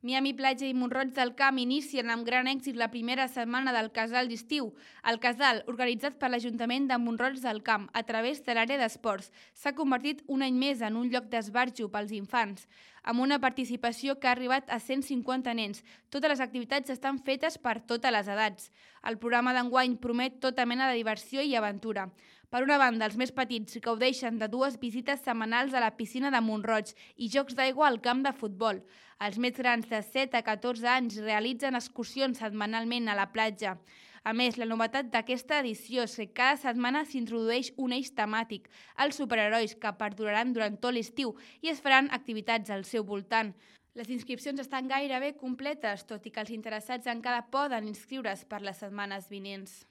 Miami Platja i Mont-roig del Camp inicien amb gran èxit la primera setmana del casal d'estiu. El casal, organitzat per l'Ajuntament de Mont-roig del Camp a través de l'àrea d'esports, s'ha convertit un any més en un lloc d'esbarjo pels infants, amb una participació que ha arribat a 150 nens. Totes les activitats estan fetes per totes les edats. El programa d'enguany promet tota mena de diversió i aventura. Per una banda, els més petits gaudeixen de 2 visites setmanals a la piscina de Mont-roig i jocs d'aigua al camp de futbol. Els més grans de 7 a 14 anys realitzen excursions setmanalment a la platja. A més, la novetat d'aquesta edició és que cada setmana s'introdueix un eix temàtic, els superherois, que perduraran durant tot l'estiu i es faran activitats al seu voltant. Les inscripcions estan gairebé completes, tot i que els interessats encara poden inscriure's per les setmanes vinents.